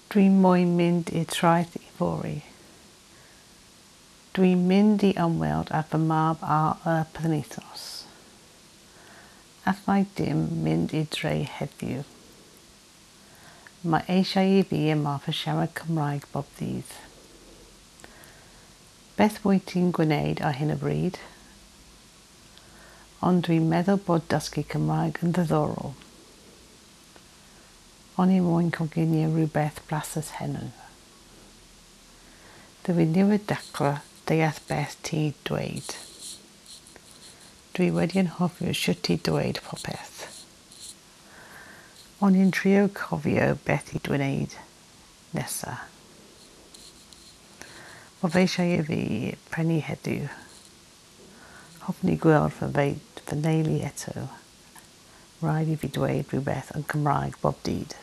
Dwi moyn mynd i'r traeth yfory. Dwi'n mynd i ymweld â fy mab ar y penwythnos. Allai dim mynd i'r dre heddiw. Mae eisiau i fi ymarfer siarad Cymraeg bob dydd. Beth wyt ti'n gwneud ar hyn o bryd? Ond dwi'n meddwl bod dysgu Cymraeg yn ddiddorol. O'n i moyn coginio rhywbeth blasus heno. Dw i newydd dechrau deall beth ti dweud. Dwi wedi anghofio shwt i dweud popeth. O'n i'n trio cofio beth i dwneud nesa. Mae fe eisiau i fi prynu heddiw. Hoffwn i gweld fy nheulu eto. Rhaid i fi dweud rhywbeth yn Cymraeg bob dydd.